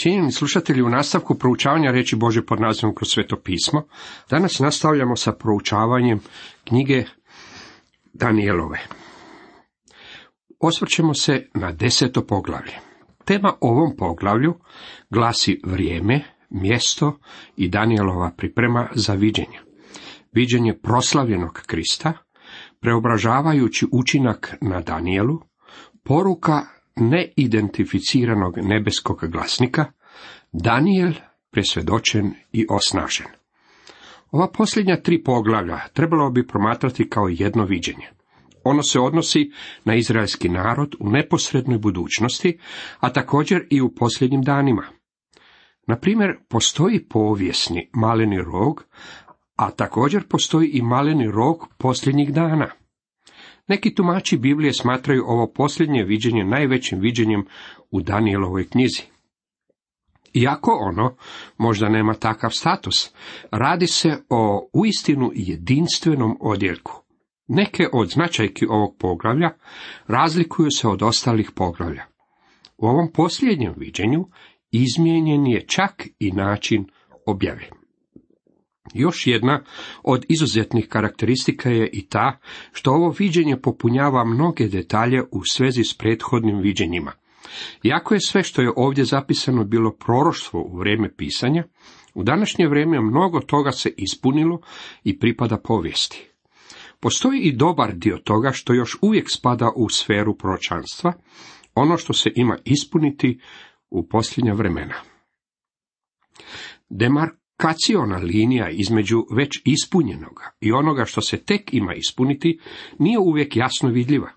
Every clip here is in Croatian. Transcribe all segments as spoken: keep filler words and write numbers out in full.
Cijenjeni slušatelji, u nastavku proučavanja riječi Božje pod nazivom Kroz sveto pismo, danas nastavljamo sa proučavanjem knjige Danijelove. Osvrćemo se na deseto poglavlje. Tema ovom poglavlju glasi vrijeme, mjesto i Danijelova priprema za viđenje. Viđenje proslavljenog Krista, preobražavajući učinak na Danijelu, poruka neidentificiranog nebeskog glasnika, Danijel presvjedočen i osnažen. Ova posljednja tri poglavlja trebalo bi promatrati kao jedno viđenje. Ono se odnosi na izraelski narod u neposrednoj budućnosti, a također i u posljednjim danima. Na primjer, postoji povijesni maleni rog, a također postoji i maleni rog posljednjih dana. Neki tumači Biblije smatraju ovo posljednje viđenje najvećim viđenjem u Danijelovoj knjizi. Iako ono možda nema takav status, radi se o uistinu jedinstvenom odjeljku. Neke od značajki ovog poglavlja razlikuju se od ostalih poglavlja. U ovom posljednjem viđenju izmijenjen je čak i način objave. Još jedna od izuzetnih karakteristika je i ta što ovo viđenje popunjava mnoge detalje u svezi s prethodnim viđenjima. Iako je sve što je ovdje zapisano bilo proroštvo u vrijeme pisanja, u današnje vrijeme mnogo toga se ispunilo i pripada povijesti. Postoji i dobar dio toga što još uvijek spada u sferu proročanstva, ono što se ima ispuniti u posljednja vremena. Demarkaciona linija između već ispunjenoga i onoga što se tek ima ispuniti nije uvijek jasno vidljiva.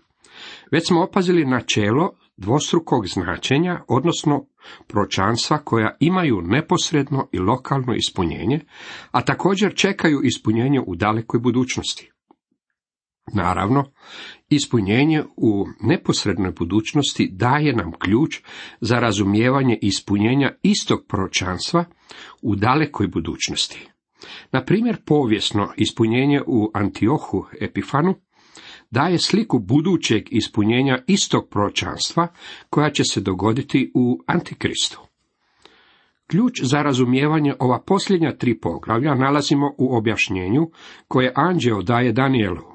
Već smo opazili načelo dvostrukog značenja, odnosno proročanstva koja imaju neposredno i lokalno ispunjenje, a također čekaju ispunjenje u dalekoj budućnosti. Naravno, ispunjenje u neposrednoj budućnosti daje nam ključ za razumijevanje ispunjenja istog proročanstva u dalekoj budućnosti. Na primjer, povijesno ispunjenje u Antiohu Epifanu daje sliku budućeg ispunjenja istog proročanstva koja će se dogoditi u Antikristu. Ključ za razumijevanje ova posljednja tri poglavlja nalazimo u objašnjenju koje anđeo daje Danijelu.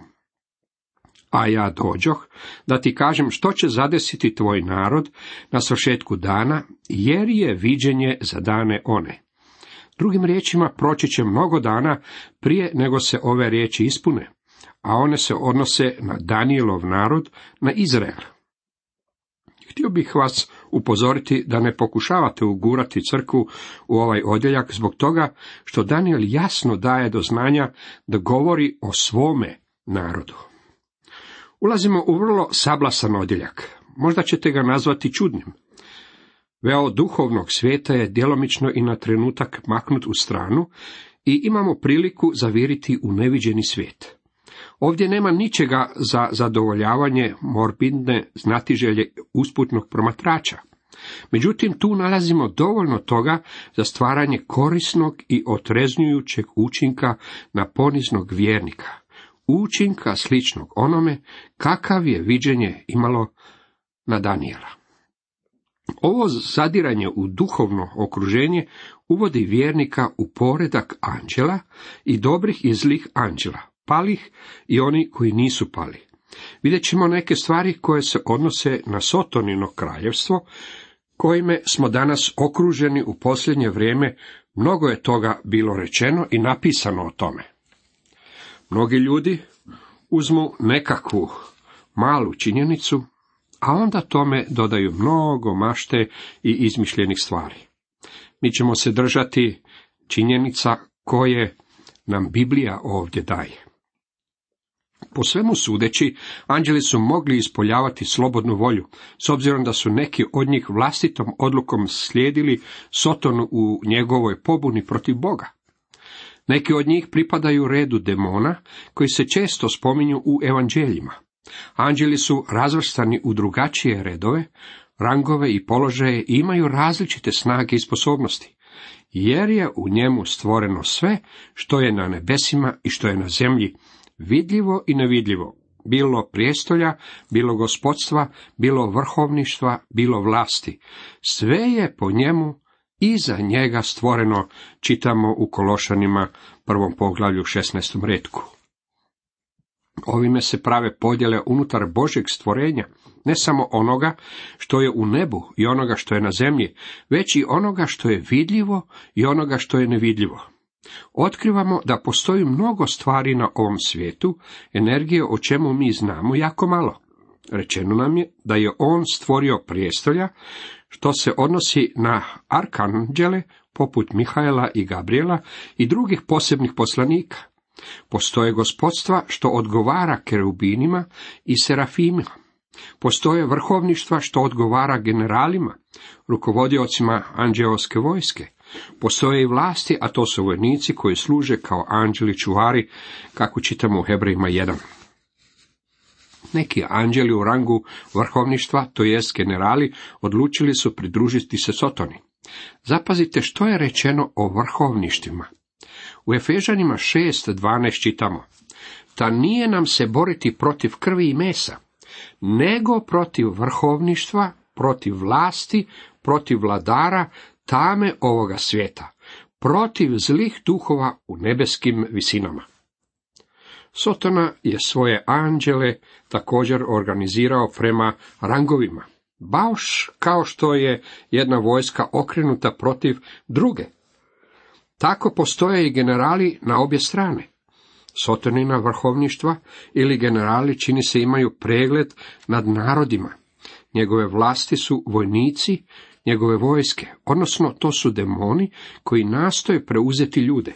A ja dođoh da ti kažem što će zadesiti tvoj narod na svršetku dana, jer je viđenje za dane one. Drugim riječima, proći će mnogo dana prije nego se ove riječi ispune, a one se odnose na Danijelov narod, na Izrael. Htio bih vas upozoriti da ne pokušavate ugurati crkvu u ovaj odjeljak zbog toga što Danijel jasno daje do znanja da govori o svome narodu. Ulazimo u vrlo sablasan odjeljak. Možda ćete ga nazvati čudnim. Veo duhovnog svijeta je djelomično i na trenutak maknut u stranu i imamo priliku zaviriti u neviđeni svijet. Ovdje nema ničega za zadovoljavanje morbidne znatiželje usputnog promatrača. Međutim, tu nalazimo dovoljno toga za stvaranje korisnog i otreznjujućeg učinka na poniznog vjernika. Učinka sličnog onome kakav je viđenje imalo na Danijela. Ovo zadiranje u duhovno okruženje uvodi vjernika u poredak anđela i dobrih i zlih anđela, palih i oni koji nisu pali. Vidjet ćemo neke stvari koje se odnose na Sotonino kraljevstvo, kojime smo danas okruženi u posljednje vrijeme. Mnogo je toga bilo rečeno i napisano o tome. Mnogi ljudi uzmu nekakvu malu činjenicu, a onda tome dodaju mnogo mašte i izmišljenih stvari. Mi ćemo se držati činjenica koje nam Biblija ovdje daje. Po svemu sudeći, anđeli su mogli ispoljavati slobodnu volju, s obzirom da su neki od njih vlastitom odlukom slijedili Sotonu u njegovoj pobuni protiv Boga. Neki od njih pripadaju redu demona, koji se često spominju u evanđeljima. Anđeli su razvrstani u drugačije redove, rangove i položaje i imaju različite snage i sposobnosti, jer je u njemu stvoreno sve što je na nebesima i što je na zemlji, vidljivo i nevidljivo, bilo prijestolja, bilo gospodstva, bilo vrhovništva, bilo vlasti. Sve je po njemu iza njega stvoreno, čitamo u Kološanima prvom poglavlju šesnaestom retku. Ovime se prave podjele unutar Božjeg stvorenja, ne samo onoga što je u nebu i onoga što je na zemlji, već i onoga što je vidljivo i onoga što je nevidljivo. Otkrivamo da postoji mnogo stvari na ovom svijetu, energije o čemu mi znamo jako malo. Rečeno nam je da je on stvorio prijestolja, što se odnosi na arkanđele poput Mihaela i Gabriela i drugih posebnih poslanika. Postoje gospodstva što odgovara kerubinima i serafimima. Postoje vrhovništva što odgovara generalima, rukovodiocima anđeoske vojske. Postoje i vlasti, a to su vojnici koji služe kao anđeli čuvari, kako čitamo u Hebrejima jedan. Neki anđeli u rangu vrhovništva, to jest generali, odlučili su pridružiti se Sotoni. Zapazite što je rečeno o vrhovništvima. U Efežanima šest dvanaest čitamo: Ta nije nam se boriti protiv krvi i mesa, nego protiv vrhovništva, protiv vlasti, protiv vladara tame ovoga svijeta, protiv zlih duhova u nebeskim visinama. Sotona je svoje anđele također organizirao prema rangovima, baš kao što je jedna vojska okrenuta protiv druge. Tako postoje i generali na obje strane. Sotonina vrhovništva ili generali čini se imaju pregled nad narodima. Njegove vlasti su vojnici, njegove vojske, odnosno to su demoni koji nastoje preuzeti ljude.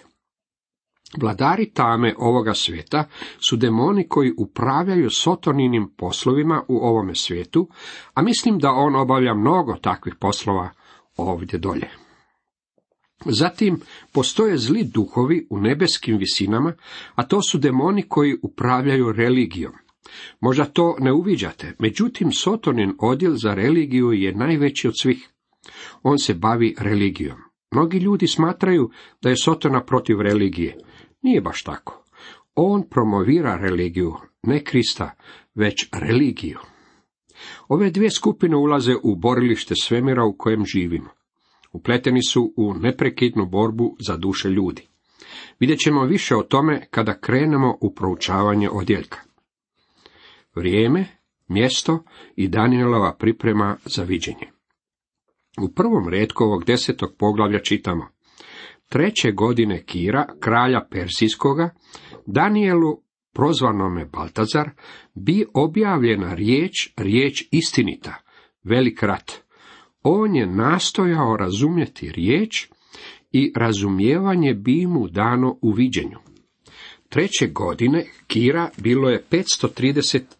Vladari tame ovoga svijeta su demoni koji upravljaju Sotoninim poslovima u ovome svijetu, a mislim da on obavlja mnogo takvih poslova ovdje dolje. Zatim postoje zli duhovi u nebeskim visinama, a to su demoni koji upravljaju religijom. Možda to ne uviđate, međutim Sotonin odjel za religiju je najveći od svih. On se bavi religijom. Mnogi ljudi smatraju da je Sotona protiv religije. Nije baš tako. On promovira religiju, ne Krista, već religiju. Ove dvije skupine ulaze u borilište svemira u kojem živimo. Upleteni su u neprekidnu borbu za duše ljudi. Vidjet ćemo više o tome kada krenemo u proučavanje odjeljka. Vrijeme, mjesto i Danielova priprema za viđenje. U prvom retku ovog desetog poglavlja čitamo: Treće godine Kira, kralja Persijskoga, Danielu, prozvanome Baltazar, bi objavljena riječ, riječ istinita, velik rat. On je nastojao razumjeti riječ i razumijevanje bi mu dano u viđenju. Treće godine Kira bilo je petsto trideset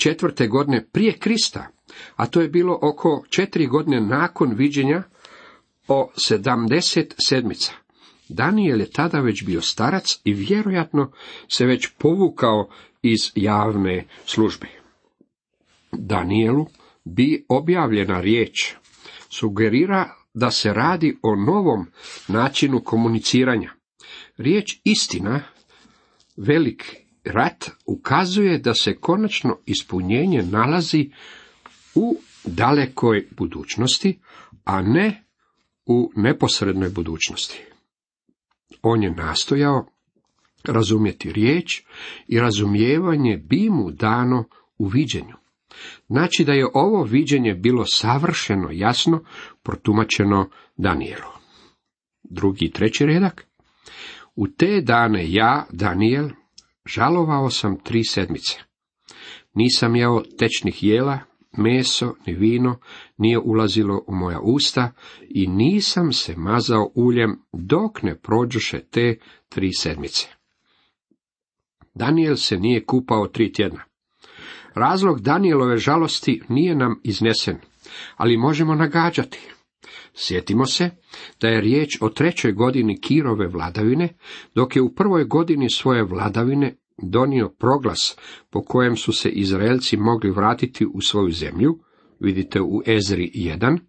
četvrte godine prije Krista, a to je bilo oko četiri godine nakon viđenja o sedamdeset sedmica. Daniel je tada već bio starac i vjerojatno se već povukao iz javne službe. Danielu bi objavljena riječ sugerira da se radi o novom načinu komuniciranja. Riječ istina, velik rat, ukazuje da se konačno ispunjenje nalazi u dalekoj budućnosti, a ne u neposrednoj budućnosti. On je nastojao razumjeti riječ i razumijevanje bi mu dano u viđenju. Znači da je ovo viđenje bilo savršeno jasno protumačeno Danielu. Drugi i treći redak. U te dane ja, Daniel, žalovao sam tri sedmice. Nisam jeo tečnih jela, meso ni vino nije ulazilo u moja usta i nisam se mazao uljem dok ne prođoše te tri sedmice. Daniel se nije kupao tri tjedna. Razlog Danielove žalosti nije nam iznesen, ali možemo nagađati. Sjetimo se da je riječ o trećoj godini Kirove vladavine, dok je u prvoj godini svoje vladavine donio proglas po kojem su se Izraelci mogli vratiti u svoju zemlju, vidite u Ezri jedan.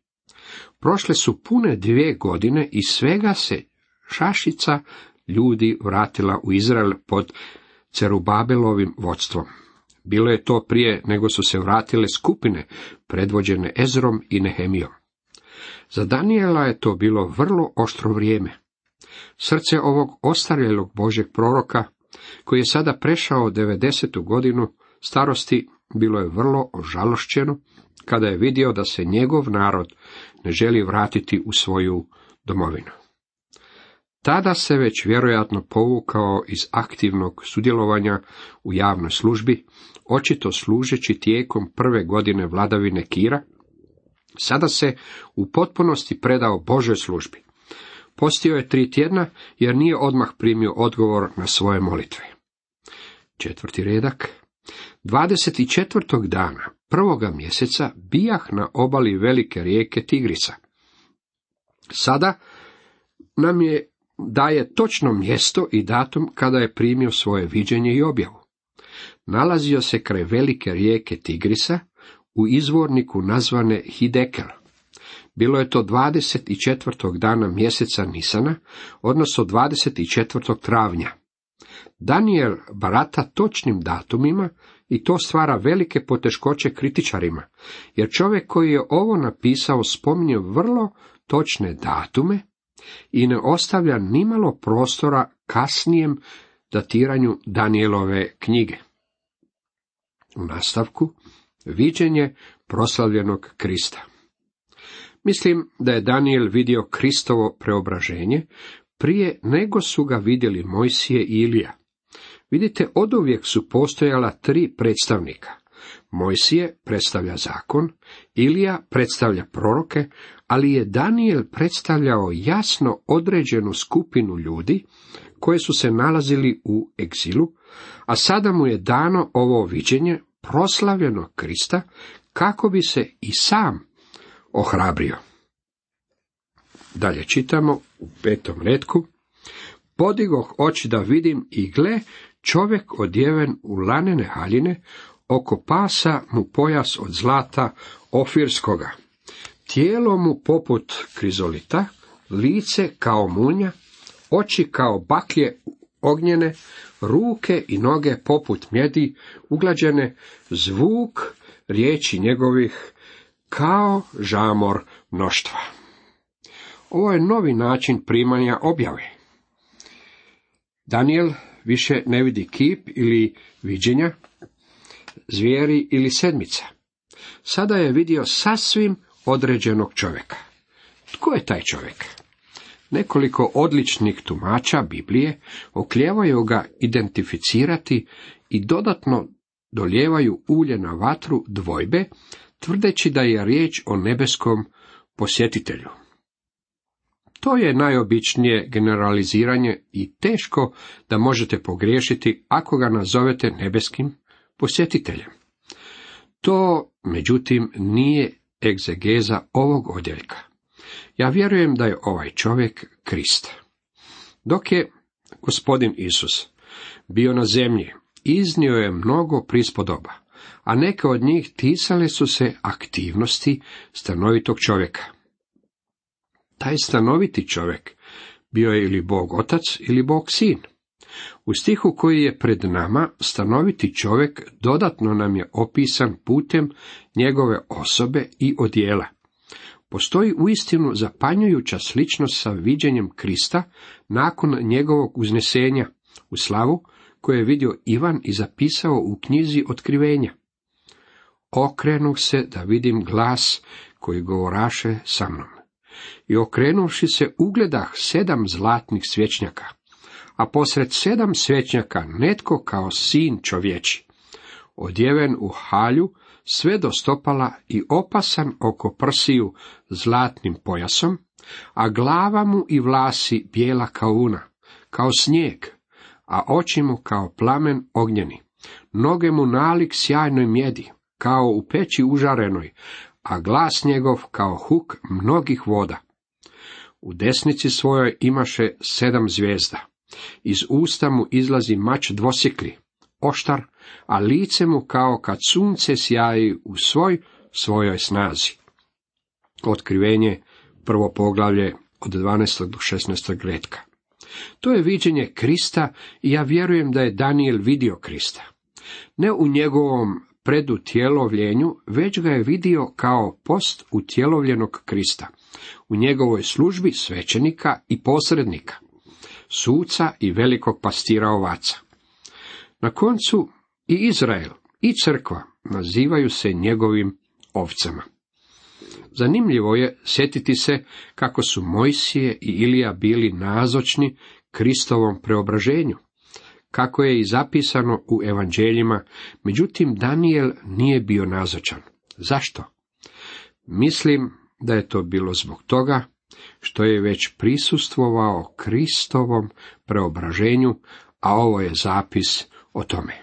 Prošle su pune dvije godine i svega se šašica ljudi vratila u Izrael pod Cerubabelovim vodstvom. Bilo je to prije nego su se vratile skupine predvođene Ezrom i Nehemijom. Za Danijela je to bilo vrlo oštro vrijeme. Srce ovog ostarjelog Božjeg proroka, koji je sada prešao devedesetu godinu starosti, bilo je vrlo ožalošćeno kada je vidio da se njegov narod ne želi vratiti u svoju domovinu. Tada se već vjerojatno povukao iz aktivnog sudjelovanja u javnoj službi, očito služeći tijekom prve godine vladavine Kira. Sada se u potpunosti predao Božoj službi. Postio je tri tjedna jer nije odmah primio odgovor na svoje molitve. Četvrti redak. dvadeset četvrtog dana prvoga mjeseca bijah na obali velike rijeke Tigrisa. Sada nam je daje točno mjesto i datum kada je primio svoje viđenje i objavu. Nalazio se kraj velike rijeke Tigrisa u izvorniku nazvane Hidekel. Bilo je to dvadeset četvrtog dana mjeseca Nisana, odnosno dvadeset četvrtog travnja. Danijel barata točnim datumima i to stvara velike poteškoće kritičarima, jer čovjek koji je ovo napisao spominje vrlo točne datume i ne ostavlja nimalo prostora kasnijem datiranju Danijelove knjige. U nastavku, viđenje proslavljenog Krista. Mislim da je Danijel vidio Kristovo preobraženje prije nego su ga vidjeli Mojsije i Ilija. Vidite, oduvijek su postojala tri predstavnika. Mojsije predstavlja zakon, Ilija predstavlja proroke, ali je Danijel predstavljao jasno određenu skupinu ljudi koje su se nalazili u egzilu, a sada mu je dano ovo viđenje proslavljenog Krista kako bi se i sam ohrabrio. Dalje čitamo u petom retku. Podigoh oči da vidim i gle, čovjek odjeven u lanene haljine, oko pasa mu pojas od zlata ofirskoga, tijelo mu poput krizolita, lice kao munja, oči kao baklje ognjene, ruke i noge poput mjedi uglađene, zvuk riječi njegovih kao žamor mnoštva. Ovo je novi način primanja objave. Danijel više ne vidi kip ili viđenja, zvijeri ili sedmica. Sada je vidio sasvim određenog čovjeka. Tko je taj čovjek? Nekoliko odličnih tumača Biblije oklijevaju ga identificirati i dodatno dolijevaju ulje na vatru dvojbe, tvrdeći da je riječ o nebeskom posjetitelju. To je najobičnije generaliziranje i teško da možete pogriješiti ako ga nazovete nebeskim posjetiteljem. To, međutim, nije egzegeza ovog odjeljka. Ja vjerujem da je ovaj čovjek Krist. Dok je gospodin Isus bio na zemlji, iznio je mnogo prispodoba, a neke od njih ticale su se aktivnosti stanovitog čovjeka. Taj stanoviti čovjek bio je ili Bog Otac ili Bog Sin. U stihu koji je pred nama, stanoviti čovjek dodatno nam je opisan putem njegove osobe i odjela. Postoji uistinu zapanjujuća sličnost sa viđenjem Krista nakon njegovog uznesenja u slavu, koje je vidio Ivan i zapisao u knjizi Otkrivenja. Okrenuh se da vidim glas koji govoraše sa mnom. I okrenuvši se ugledah sedam zlatnih svječnjaka, a posred sedam svječnjaka netko kao sin čovječi, odjeven u halju sve do stopala i opasan oko prsiju zlatnim pojasom, a glava mu i vlasi bijela kao una, kao snijeg, a oči mu kao plamen ognjeni, noge mu nalik sjajnoj mjedi, kao u peći užarenoj, a glas njegov kao huk mnogih voda. U desnici svojoj imaše sedam zvijezda, iz usta mu izlazi mač dvosjekli, oštar, a lice mu kao kad sunce sjaji u svoj svojoj snazi. Otkrivenje, prvo poglavlje od dvanaestog do šesnaestog retka. To je viđenje Krista i ja vjerujem da je Danijel vidio Krista. Ne u njegovom predutjelovljenju, već ga je vidio kao post utjelovljenog Krista, u njegovoj službi svećenika i posrednika, suca i velikog pastira ovaca. Na koncu i Izrael i crkva nazivaju se njegovim ovcama. Zanimljivo je sjetiti se kako su Mojsije i Ilija bili nazočni Kristovom preobraženju, kako je i zapisano u evanđeljima, međutim Danijel nije bio nazočan. Zašto? Mislim da je to bilo zbog toga što je već prisustvovao Kristovom preobraženju, a ovo je zapis o tome.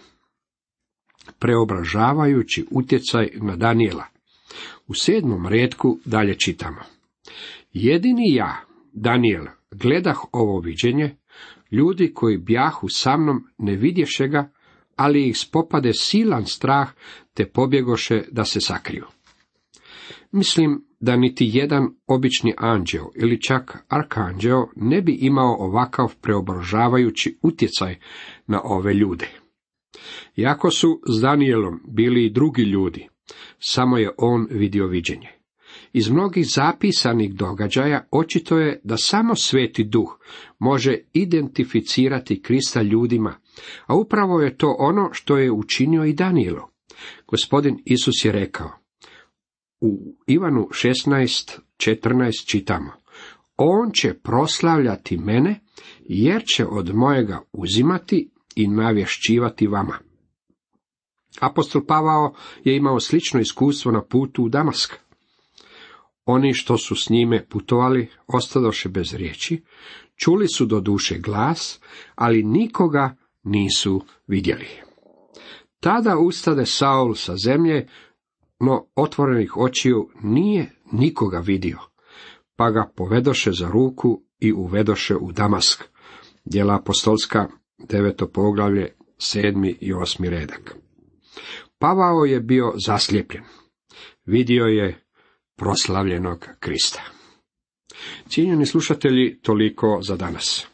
Preobražavajući utjecaj na Danijela. U sedmom retku dalje čitamo. Jedini ja, Danijel, gledah ovo viđenje, ljudi koji bjahu sa mnom ne vidješe ga, ali ih spopade silan strah, te pobjegoše da se sakriju. Mislim da niti jedan obični anđeo ili čak arkanđeo ne bi imao ovakav preobražavajući utjecaj na ove ljude. Iako su s Danijelom bili i drugi ljudi, samo je on vidio viđenje. Iz mnogih zapisanih događaja očito je da samo Sveti Duh može identificirati Krista ljudima, a upravo je to ono što je učinio i Danijelu. Gospodin Isus je rekao, u Ivanu šesnaest četrnaest čitamo, on će proslavljati mene, jer će od mojega uzimati i navješćivati vama. Apostol Pavao je imao slično iskustvo na putu u Damask. Oni što su s njime putovali ostadoše bez riječi, čuli su do duše glas, ali nikoga nisu vidjeli. Tada ustade Saul sa zemlje, no otvorenih očiju nije nikoga vidio, pa ga povedoše za ruku i uvedoše u Damask. Djela apostolska, deveto poglavlje, sedmi i osmi redak. Pavao je bio zaslijepljen. Vidio je proslavljenog Krista. Cijenjeni slušatelji, toliko za danas.